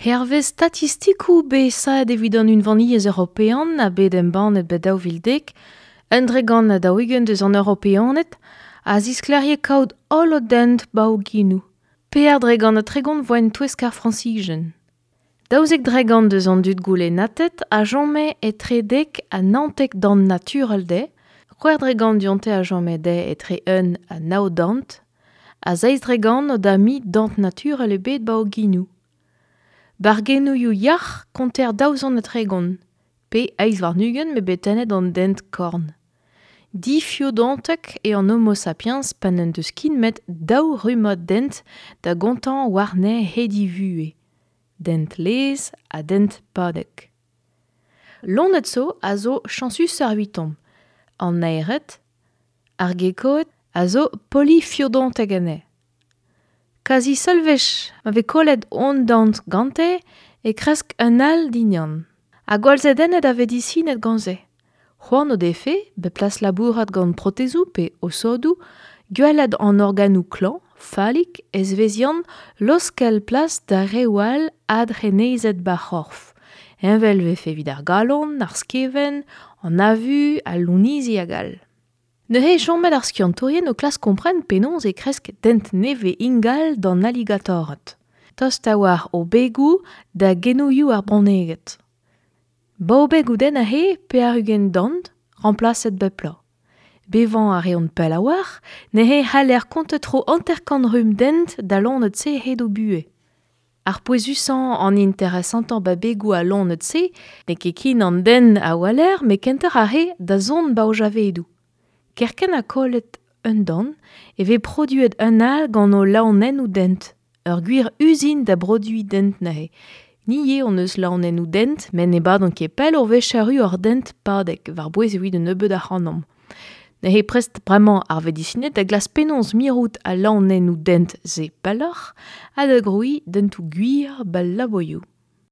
Hervez statistikoù bet saet evit an Unvaniezh European ha bet embannet bet 2010, un dregant ha 40 deus an Europeaned a zisklêrie kaout holl o dent ba o genoù. 34% voa en touesk ar Frañsijen. 12% deus an dud goulennatet a chome etre 10 ha 19 dant naturel dezhe, 6% dionte a chome dezhe etre 1 ha 9 dant, ha 7% o da mi dant naturel ebet ba o genoù. Bargennoù yac'h konter 230, pe 28 me bet tennet an dent korn. Difiodantek eo an Homo sapiens pa n'en deus kin met daou rummad dent da gontañ warne hedivuhez. Dent lez ha dent padek. Loened zo a zo chañsus ar 'vitomp. An naered, ar gekoed a zo polifiodantek anezhe. Kazi seul wech ma vez kollet hon dant gante e kresk un all dindan. Ha gwall zedennet a vedisined gant se. C'hoant o defe, bet plas labourat gant protezoù pe osodoù, gwelet an organoù klañv, fallik, ezveziant, laoskel plas da reoù all adrenezet b'ar c'horf. Heñvel 'vefe evit ar galon, ar skevent, an avu, al lounezhi hag all. Neuze chomet ar skiantourien o klask kompren penaos e kresk dent nevez ingal d'an alligatored. Tost a-walc'h o begoù da genouioù ar bronneged. Ba o begoù den aze 80 dant, remplaset bep bloaz. Bevañ a reont pell a-walc'h, neuze c'haller kontañ tro 50 rumm dent da loened-se hed o buhez. Ar pouezusañ an interesantañ ba begoù al loened-se n'eo ket ken an den a weler met kentoc'h ar re da zont ba o javedoù. Kerkent ha kollet un dant e vez produet un all gant o laonennoù dent. Ur gwir uzin da broduiñ dent neuze. Ni ivez hon eus laonennoù dent, met ne badont ket pell ur wech erru hor dent padek, war-bouez evit un nebeud ac'hanomp. Neuze prest bremañ ar vedisined da glask penaos mirout al laonennoù dent-se pelloc'h ha da grouiñ dentoù gwir b'al laboioù.